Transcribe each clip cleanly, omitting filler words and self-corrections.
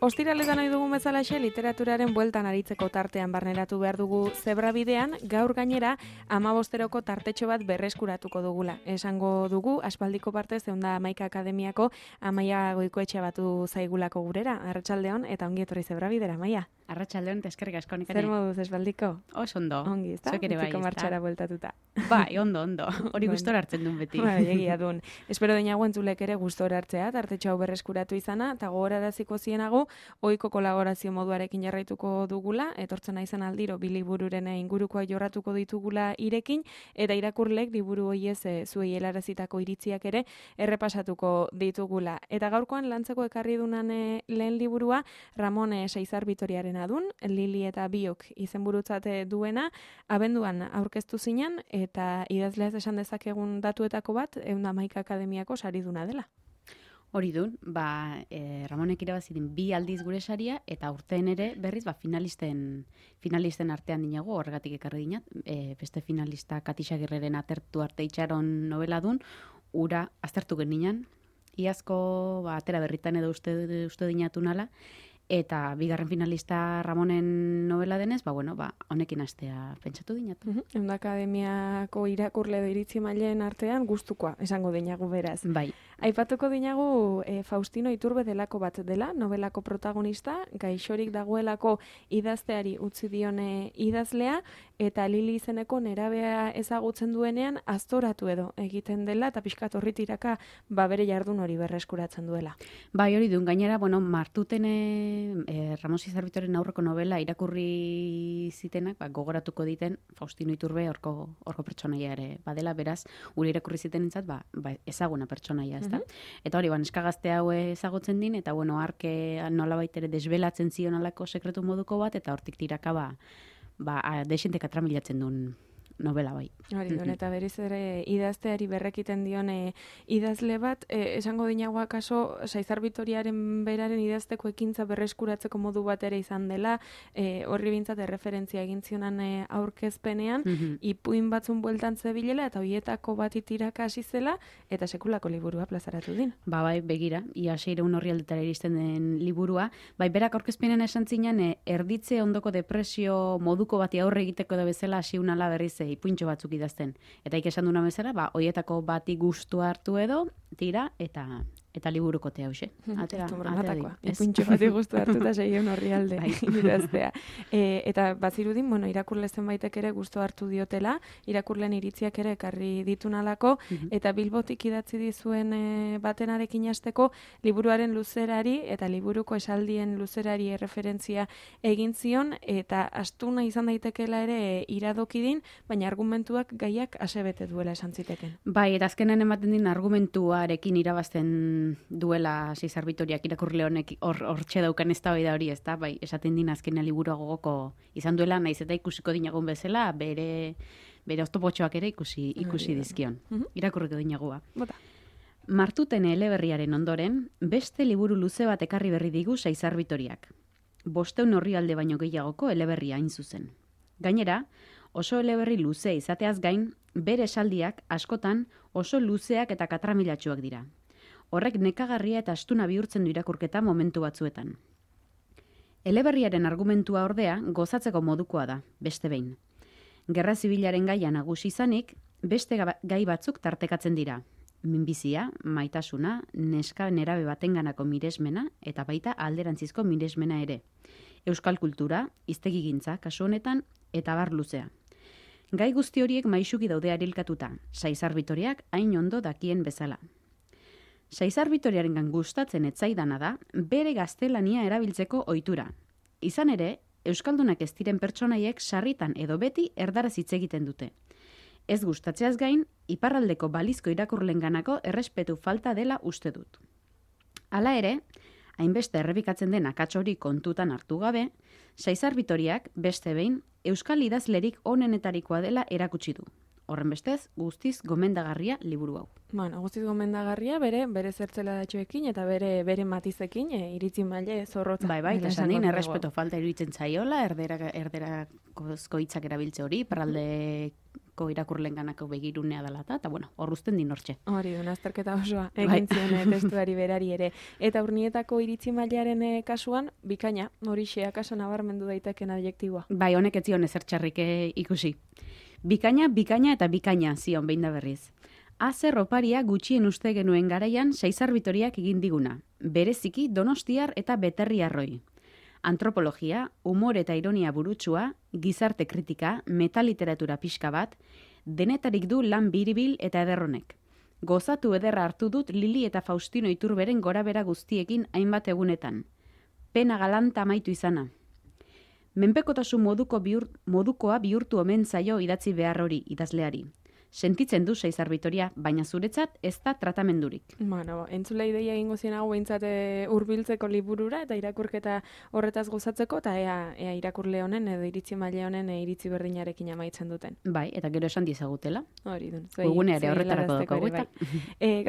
Ostiraletan nahi dugun bezalaxe, literaturaren bueltan aritzeko tartean barneratu behar dugu zebrabidean, gaur gainera 15 tartetxo bat berreskuratuko dugula. Esango dugu, aspaldiko partez, Ehunda Hamaika Akademiako Amaia Goikoetxea batu zaigulako gurera. Arratsaldeon eta ongi etorri zebrabidera, Amaia. Arratsaldeon eta eskerrik asko Nekane. Zer moduz espaldiko? Oso ondo. Ongi, ezta? Zuek ere bai, Utziko martxara bueltatuta. Bai, ondo. Hori gustora hartzen duen beti. Bai, egia dun. Espero deinago entzulek ere gustora hartzea, tartetxo hau berreskuratu izana, eta gogoraraziko zienago, ohiko kolaborazio moduarekin jarraituko dugula, etortzen naizen aldiro bi libururen ingurukoa jorratuko ditugula irekin, eta irakurlek liburu hoiez zuei helarazitako iritziak ere errepasatuko ditugula. Eta gaurkoan lantzeko ekarri dunan lehen liburua, Ramon Seizar Bitoriaren adun, Lili eta Biok izenburutzat duena, abenduan aurkeztu zinen, eta idazleaz esan dezakegun datuetako bat, Ehunda Hamaika Akademiako sariduna dela. Hori dun, Ramonek irabazidin 2 aldiz gure saria, eta urteen ere berriz finalisten artean dinago, horregatik ekarri dinat, beste finalista Katisa Girreren Atertu arte itxaron novela dun, ura aztertu geninan, iazko atera berritan edo uste dinatu nala, eta bigarren finalista Ramonen novela denez, honekin astea pentsatu dinatu. Ehunda Akademiako irakurle edo iritzi maileen artean gustukoa, esango dinagu beraz. Bai. Aipatuko dinagu Faustino Iturbe delako bat dela, novelako protagonista, gaixorik dagoelako idazteari utzi dione idazlea, eta Lili izeneko nerabea ezagutzen duenean aztoratu edo egiten dela, eta pixkat horri tiraka bere jardun hori berreskuratzen duela. Bai, hori duen, gainera, martuten Ramon Seizar Bitoriaren aurreko novela irakurri zitenak, gogoratuko diten Faustino Iturbe horko pertsonaia ere badela, beraz, gure irakurri zitenentzat, ezaguna pertsonaia, ezta? Eta hori, neskagazte hau ezagutzen din, eta arke nolabait ere desbelatzen zion alako sekretu moduko bat, eta hortik tiraka desenteka tramilatzen duen novela bai. Hori, eta berriz ere idazteari berrekiten dione idazle bat, esango dinagoa kaso, Seizar Bitoriaren beraren idazteko ekintza berreskuratzeko modu bat ere izan dela, horri bintzat erreferentzia egin zionan aurkezpenean, ipuin batzun bueltan zebilela, eta hoietako bat itiraka hasi zela, eta sekulako liburua plazaratu din. Bai, begira, ia 600 orrialdetara iristen den liburua, berak aurkezpenean esan zinan, erditze ondoko depresio moduko bati aurre egiteko da bezala hasi unala berriz ipuintxo batzuk idazten. Eta esan duna bezala, hoietako bati gustu hartu edo, tira, eta liburukote hause. Ipuintxo bati gustu hartu eta 600 orrialde idaztea. Eta bazirudin, irakurle zenbaitek ere gustu hartu diotela, irakurleen iritziak ere ekarri ditunalako, eta Bilbotik idatzi dizuen batenarekin hasteko liburuaren luzerari eta liburuko esaldien luzerari erreferentzia egin zion, eta astuna izan daitekeela ere iradokidin, baina argumentuak gaiak asebete duela esan ziteken. Bai, eta azkenen ematen din argumentuarekin irabazten duela Seizar Bitoriak irakurle honek hortxe daukan eztabaida hori, ezta? Bai, esaten din azkenen liburua gogoko izan duela, naiz eta ikusiko dinagun bezala, bere oztopotxoak ere ikusi dizkion. Irakurriko dinagua. Martuten eleberriaren ondoren, beste liburu luze bat ekarri berri digu Seizar Bitoriak. 500 orrialde baino gehiagoko eleberria hain zuzen. Gainera, oso eleberri luze izateaz gain, bere esaldiak askotan oso luzeak eta katramilatsuak dira. Horrek nekagarria eta astuna bihurtzen du irakurketa momentu batzuetan. Eleberriaren argumentua ordea gozatzeko modukoa da, beste behin. Gerra zibilaren gaia nagusi izanik, beste gai batzuk tartekatzen dira. Minbizia, maitasuna, neska nerabe batenganako miresmena eta baita alderantzizko miresmena ere. Euskal kultura, hiztegigintza kasu honetan eta bar luzea. Gai guzti horiek maisuki daude arilkatuta, Seizar Bitoriak hain ondo dakien bezala. Seizar Bitoriarengan gustatzen etzaidana da, bere gaztelania erabiltzeko ohitura. Izan ere, euskaldunak ez diren pertsonaiek sarritan edo beti erdaraz hitz egiten dute. Ez gustatzeaz gain, iparraldeko balizko irakurlenganako errespetu falta dela uste dut. Hala ere, hainbeste errepikatzen den akats hori kontutan hartu gabe, Seizar Bitoriak beste behin euskal idazlerik onenetarikoa dela erakutsi du. Horren bestez, guztiz gomendagarria liburu hau. Bueno, guztiz gomendagarria, bere zertzela datxoekin eta bere matizekin, iritzi maile zorrotza. Bai, eta esan din, errespeto falta iruditzen zaiola, erderako hitzak erabiltze hori, parraldeko irakurlenganako begirunea dela eta bueno, horruzten din hortxe. Hori du, azterketa osoa egin zion testuari berari ere. Eta urnietako iritzi mailearen kasuan, bikaina, horixe akaso nabarmendu daiteken adjektiboa. Bai, honek ez zion ezer txarrik ikusi. Bikaina eta bikaina zion behin da berriz. Azer oparia gutxien uste genuen garaian Saizar-Vitoriak egin diguna, bereziki Donostiar eta Beterriarroi. Antropologia, humor eta ironia burutsua, gizarte kritika, metaliteratura pixka bat, denetarik du lan biribil eta ederronek. Gozatu ederra hartu dut Lili eta Faustino Iturberen gorabera guztiekin hainbat egunetan. Pena galanta amaitu izana. Menpekotasun modukoa bihurtu omen zaio idatzi behar hori idazleari. Sentitzen du Saizar-Vitoria, baina zuretzat ez da tratamendurik. Bueno, entzule ideia egingo zienago behintzat hurbiltzeko liburura eta irakurketa horretaz gozatzeko, eta ea irakurle honen edo iritzi maile honen iritzi berdinarekin amaitzen duten. Bai, eta gero esan diezagutela. Hori dun. Webgunea ere horretarako daukagu eta.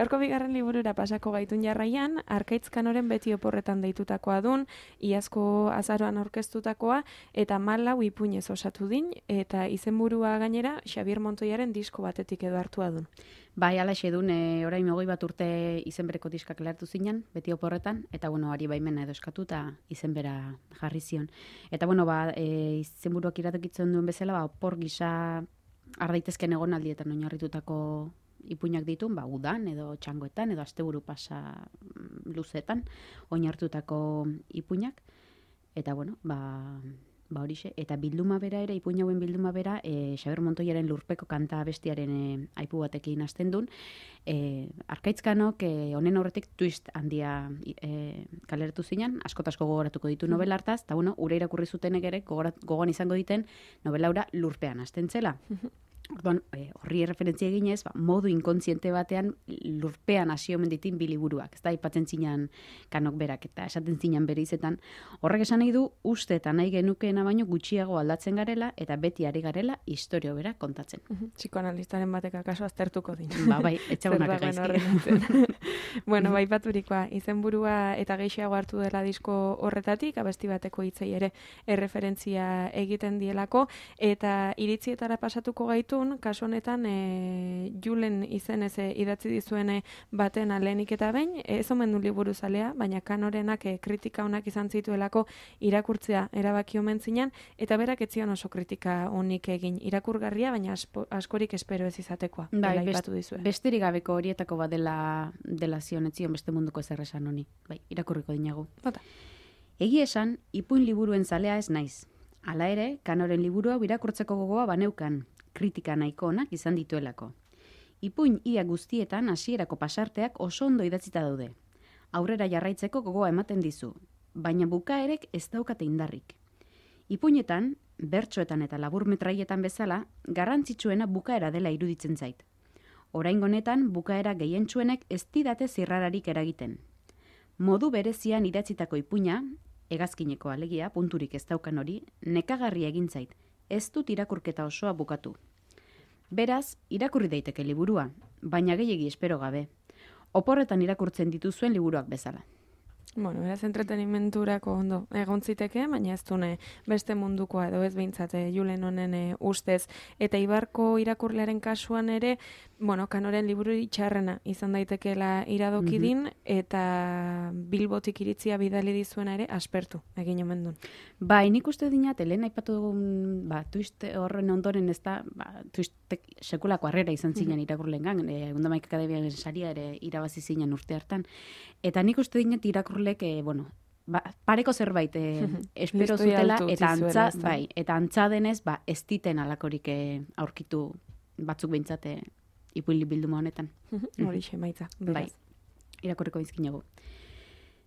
Gaurko bigarren liburura pasako gaitun jarraian, Arkaitz Kanoren beti oporretan deitutakoa dun, iazko azaroan aurkeztutakoa, eta 14 ipuinez osatu din, eta izenburua gainera Xabier Montoiaren disko batetik edo hartua dun. Bai, alaxe dun, orain 20 urte izen bereko diskak lehartu zinen, beti oporretan, eta bueno, ari baimena edo eskatu eta izen bera jarri zion. Eta bueno, izenburuak iratekitzen duen bezala, opor gisa ardaitezken egonaldietan oinarritutako ipuinak ditu, udan edo txangoetan edo asteburu pasa luzetan oinarritutako ipuinak. Eta bueno, horixe, eta bilduma bera ere, ipuin hauen bilduma bera, Xabier Montoiaren Lurpeko kanta bestiaren aipu batekin hasten duen, Arkaitzkanok honen horretik twist handia kaleratu zinen, asko gogoratuko ditu novela hartaz, eta bueno, ure irakurri zutenek ere gogoan izango diten novelaura Lurpean hasten zela. Orduan, horri referentzia eginez, modu inkontziente batean Lurpean hasi omen ditin bi liburuak. Ez da, aipatzen zinan Kanok berak eta esaten zinan bere izetan. Horrek esan nahi du, uste eta nahi genukeena baino gutxiago aldatzen garela eta beti ari garela historio bera kontatzen. Psikoanalistaren batek akaso aztertuko din. Bai, etxagunak gaizki. Bueno, baipaturikoa, izenburua eta gehiago hartu dela disko horretatik, abesti bateko hitzei ere erreferentzia egiten dielako, eta iritzietara pasatuko gaitu kasu honetan Julen izenez idatzi dizuene baten alenik eta behin, ez omen du liburu zalea, baina Kanorenak kritika onak izan zituelako irakurtzea erabaki omen zinan, eta berak ez zion oso kritika onik egin irakurgarria, baina askorik espero ez izatekoa. Bai, besterik gabeko horietako bat dela zion, ez zion beste munduko zer esan honi. Bai, irakurriko dinagu. Egi esan, ipuin liburuen zalea ez naiz. Hala ere, Kanoren liburua irakurtzeko gogoa baneukan, kritika nahiko onak izan dituelako. Ipuin ia guztietan hasierako pasarteak oso ondo idatzita daude. Aurrera jarraitzeko gogoa ematen dizu, baina bukaerek ez daukate indarrik. Ipuinetan, bertsoetan eta laburmetraietan bezala, garrantzitsuena bukaera dela iruditzen zait. Oraingo honetan bukaera gehientsuenek ez didate zirrararik eragiten. Modu berezian idatzitako ipuina, hegazkineko alegia, punturik ez daukan hori, nekagarria egin zait. Ez dut irakurketa osoa bukatu. Beraz, irakurri daiteke liburua, baina gehiegi espero gabe. Oporretan irakurtzen dituzuen liburuak bezala. Bueno, beraz entretenimenturako ondo egon ziteke, baina ez dune beste mundukoa edo ez behintzat Julen honen ustez. Eta Ibarko irakurlearen kasuan ere, Kanoren liburu txarrena izan daitekeela iradoki din, eta Bilbotik iritzia bidali dizuena ere aspertu egin omen duen. Bai, nik uste dinat, lehen aipatu dugun, twist horren ondoren ez da, twistek sekulako harrera izan zinen irakurlengan, Undamaik Akademiaren saria ere irabazi zinen urte hartan. Eta nik uste dinat irakurlek, pareko zerbait espero zutela, eta antza denez, ez diten alakorik aurkitu batzuk behintzate ipuin bilduma honetan. Horixe, maitza. Bai, irakurriko dizkinagu.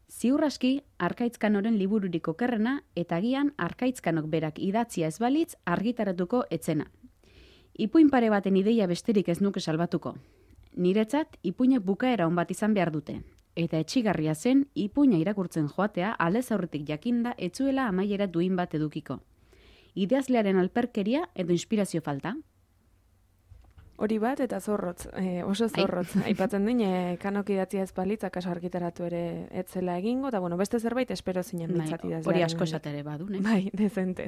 Ziur aski, Arkaitz Kanoren libururik okerrena eta agian Arkaitz Kanok berak idatzia ez balitz argitaratuko etzena. Ipuin pare baten ideia besterik ez nuke salbatuko. Niretzat, ipuinek bukaera on bat izan behar dute. Eta etxigarria zen, ipuina irakurtzen joatea aldez aurretik jakinda etzuela amaiera duin bat edukiko. Idazlearen alperkeria edo inspirazio falta? Hori bat eta zorrotz, oso zorrotz. Aipatzen din, kanok idatzia ez balitz, akaso argitaratu ere etzela egingo, eta bueno, beste zerbait espero zinen mintzat idazlearen. Hori asko esatere badu, ne? Bai, dezente.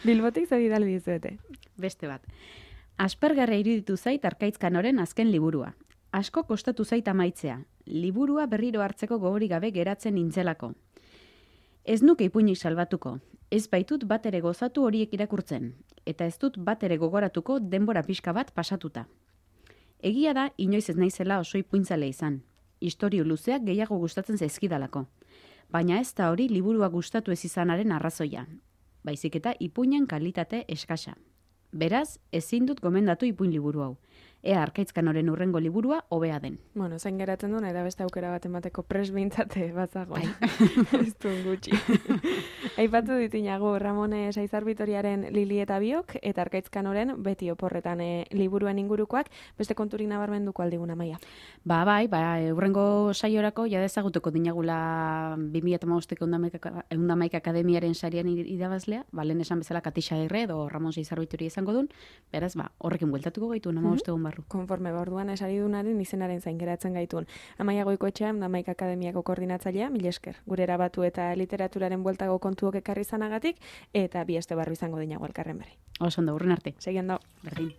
Bilbotik zer bidali dizuete. Beste bat. Aspergarria iruditu zait Arkaitz Kanoren azken liburua. Asko kostatu zait amaitzea. Liburua berriro hartzeko gogorik gabe geratzen nintzelako. Ez nuke ipuinik salbatuko. Ez baitut bat ere gozatu horiek irakurtzen. Eta ez dut bat ere gogoratuko denbora pixka bat pasatuta. Egia da, inoiz ez naizela oso ipuintzale izan. Istorio luzeak gehiago gustatzen zaizkidalako. Baina ez da hori liburua gustatu ez izanaren arrazoia. Baizik eta ipuinen kalitate eskasa. Beraz, ezin dut gomendatu ipuin liburu hau. Ea Arkaitz Kanoren urrengo liburua hobea den. Bueno, zain geratzen duen, eta beste aukera bat emateko pres behintzate bazago. Ez duen gutxi. Aipatu ditinago Ramone Saizar Bitoriaren Lili eta Biok, eta Arkaitz Kanoren beti oporretan liburuen ingurukoak, beste konturik nabarmenduko aldiguna, Maia. Bai, urrengo saiorako ja dezagutuko dinagula 2015ko Eundamaika Akademiaren sarian irabazlea, lehen esan bezala Katixa Aguirre edo Ramon Saizar Bitori izango duen, beraz, horrekin bueltatuko gaitu, 15 egun barru. Konforme orduan esaridunaren izenaren zain geratzen gaituen. Amaia Goikoetxea, Eundamaika Akademiako koordinatzailea, mil esker. Gure erabatu eta literaturaren bueltago kontuok ekarri izanagatik, eta bi aste barru izango dinago elkarren berri. Oso ondo, urren arte. Segi ondo. Berdin.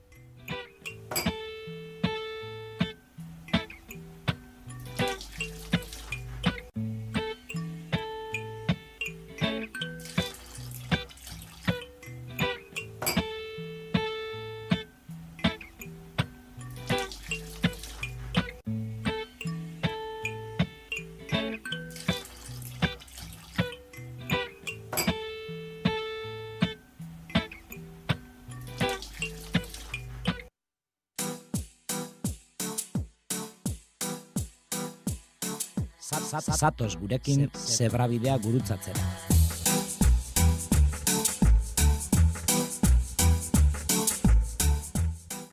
Zatoz gurekin zebrabidea gurutzatzera.